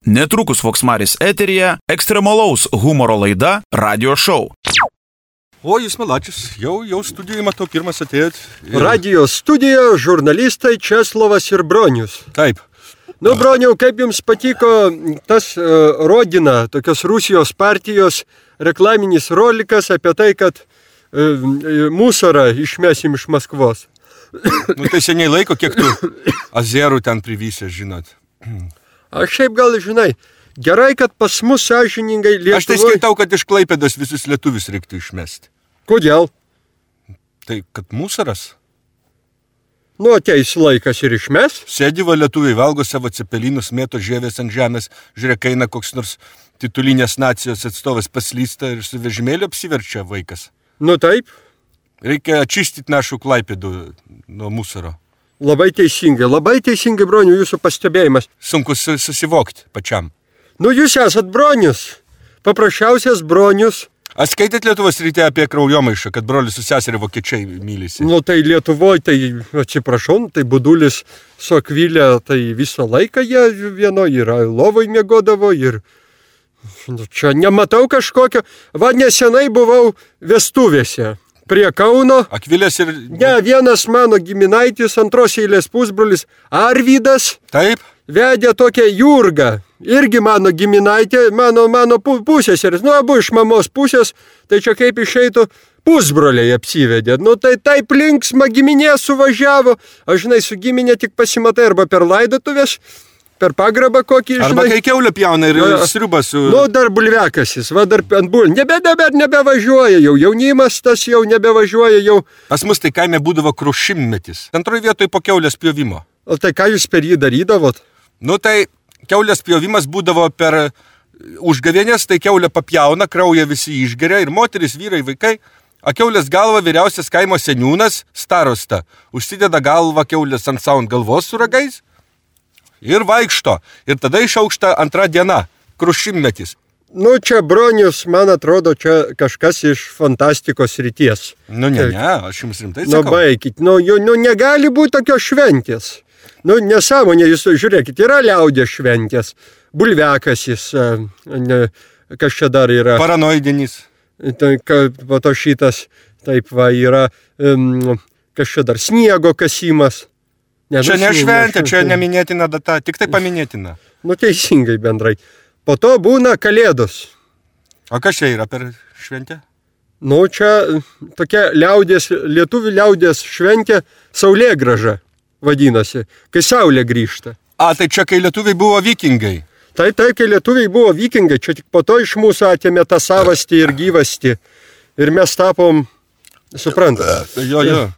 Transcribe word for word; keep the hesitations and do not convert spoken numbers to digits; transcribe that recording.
Netrukus Voksmaris eteryje ekstremalaus humoro laida Radio Show. O, jūs Malačius, jau, jau studijoje matau, pirmas atėjot. Ir... Radio studijoje žurnalistai Česlovas ir Bronius. Taip. Nu, Broniau, kaip jums patiko tas uh, Rodina, tokios Rusijos partijos reklaminis rolikas apie tai, kad uh, musarą išmesim iš Maskvos? Nu, tai seniai laiko, kiek tu azerų ten privysė, žinot. Aš šiaip gal, žinai, gerai, kad pas mus sąžiningai Lietuvoje... Aš tai skaitau, kad iš Klaipėdos visus lietuvius reiktų išmesti. Kodėl? Tai, kad musaras. Nu, ateis laikas ir išmes. Sėdi va lietuviai, valgo savo cepelinus, mėto žievės ant žemės, žiūrėk, eina koks nors titulinės nacijos atstovas paslysta ir su vežimėliu apsiverčia vaikas. Nu, taip. Reikia atčistyti našų Klaipėdų nuo musaro. Labai teisingai, labai teisingai, Broniu, jūsų pastebėjimas. Sunku susivokti pačiam. Nu, jūs esat Bronius. Paprasčiausias Bronius. Ar skaitėt Lietuvos ryte apie kraujomaišą, kad brolis su seserį vokiečiai mylisi? Nu, tai Lietuvoje, tai atsiprašau, tai Budulis su Akvilė, tai visą laiką jie vieno yra lovoj miegodavo ir... Nu, čia nematau kažkokio. Va, nesenai buvau vestuvėse. Prie Kauno. Akvilės ir... Ne, vienas mano giminaitis, antros eilės pusbrolis, Arvydas. Taip. Vedė tokią Jurgą. Irgi mano giminaitė, mano, mano pusseseris. Nu, abu iš mamos pusės, tai čia kaip išeitų pusbroliai apsivedė. Nu, tai taip linksma giminė suvažiavo. Aš, žinai, su giminė tik pasimatai arba per laidotuvės, per pagrabą kokį, žinai. Arba kai kiaulė pjauna ir sriubą su... Nu, dar bulvekasis, va dar ant bulvių. Nebe dabar nebevažiuoja jau, jaunimas tas jau nebevažiuoja jau. Pas mus tai kaime būdavo krušimmetis. Antroje vietoje po kiaulės pjovimo. O tai ką jūs per jį darydavot? Nu, tai kiaulės pjovimas būdavo per užgavėnės, tai kiaulė papjauna, kraują visi išgeria ir moteris, vyrai, vaikai. A kiaulės galva vyriausias kaimo seniūnas, starosta, užsideda galvą kiaulės ant savo galvos su ragais. Ir vaikšto. Ir tada išaukšta antra diena. Krušimmetis. Nu, čia Bronius, man atrodo, čia kažkas iš fantastikos ryties. Nu, ne, ne, aš jums rimtai sakau. Nu, baikit. Nu, nu, negali būti tokios šventės. Nu, nesąmonė, jūs žiūrėkit, yra liaudės šventės. Bulvekasis, ne, kas čia dar yra. Paranoidinis. Tai, po to šitas, taip va, yra, um, kas čia dar, sniego kasimas. Ne, čia nu, ne šventė, ne, čia neminėtina data, tik tai paminėtina. Nu, teisingai bendrai. Po to būna Kalėdos. O kas čia yra per šventę? Nu, čia tokia liaudės, lietuvių liaudės šventė Saulėgrąža vadinasi, kai Saulė grįžta. A, tai čia kai lietuviai buvo vikingai. Tai, tai, kai lietuviai buvo vikingai, čia tik po to iš mūsų atėmė tą savastį ir gyvastį. Ir mes tapom, suprantate. Jo, jo.